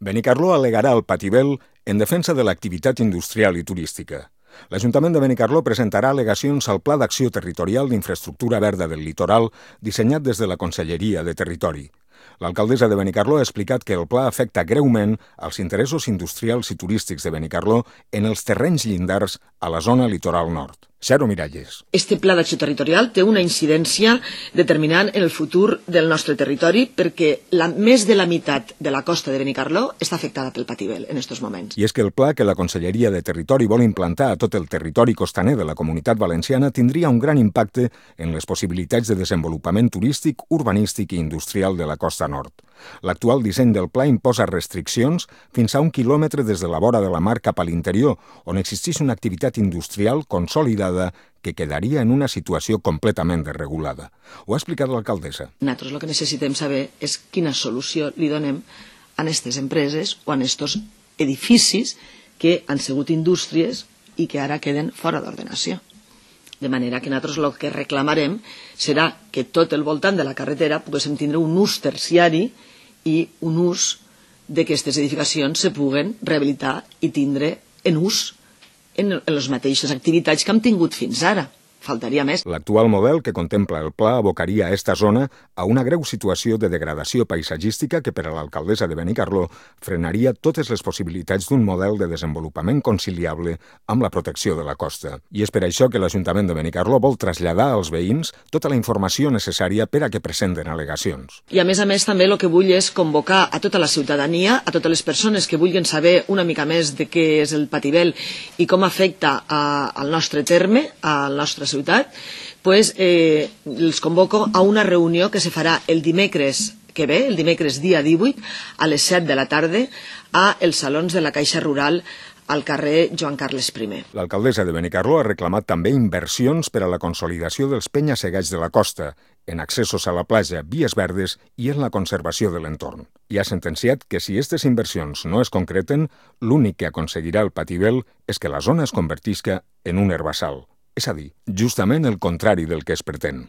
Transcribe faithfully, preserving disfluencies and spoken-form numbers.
Benicarló al·legarà el Patibel en defensa de l'activitat industrial i turística. L'Ajuntament de Benicarló presentarà al·legacions al Pla d'Acció Territorial d'Infraestructura Verda del Litoral dissenyat des de la Conselleria de Territori. L'alcaldessa de Benicarló ha explicat que el pla afecta greument als interessos industrials i turístics de Benicarló en els terrenys llindars a la zona litoral nord. Xaro Miralles. Este pla d'acció territorial té una incidència determinant en el futur del nostre territori perquè la, més de la meitat de la costa de Benicarló està afectada pel Patibel en aquests moments. I és que el pla que la Conselleria de Territori vol implantar a tot el territori costaner de la Comunitat Valenciana tindria un gran impacte en les possibilitats de desenvolupament turístic, urbanístic i industrial de la costa nord. L'actual disseny del pla imposa restriccions fins a un quilòmetre des de la vora de la mar cap a l'interior, on existeix una activitat industrial consolidada que quedaria en una situació completament desregulada. Ho ha explicat l'alcaldessa. Nosaltres el que necessitem saber és quina solució li donem a aquestes empreses o a aquests edificis que han sigut indústries i que ara queden fora d'ordenació. De manera que nosaltres el que reclamarem serà que tot el voltant de la carretera poguéssim tindre un ús terciari i un ús d'aquestes edificacions se puguen rehabilitar i tindre en ús en les mateixes activitats que hem tingut fins ara. Faltaria més. L'actual model que contempla el pla abocaria a esta zona a una greu situació de degradació paisatgística que per a l'alcaldessa de Benicarló frenaria totes les possibilitats d'un model de desenvolupament conciliable amb la protecció de la costa. I és per això que l'Ajuntament de Benicarló vol traslladar als veïns tota la informació necessària per a que presenten al·legacions. I a més a més també el que vull és convocar a tota la ciutadania, a totes les persones que vulguin saber una mica més de què és el Patibel i com afecta a, al nostre terme, al nostre ciutat, pues, eh, els convoco a una reunió que se farà el dimecres que ve, el dimecres dia divuit, a les set de la tarda, a els salons de la Caixa Rural al carrer Joan Carles primer. L'alcaldessa de Benicarló ha reclamat també inversions per a la consolidació dels penya-segats de la costa, en accessos a la platja, vies verdes i en la conservació de l'entorn. I ha sentenciat que si aquestes inversions no es concreten, l'únic que aconseguirà el Patibel és que la zona es convertisca en un herbassal. És a dir, justament el contrari del que es pretén.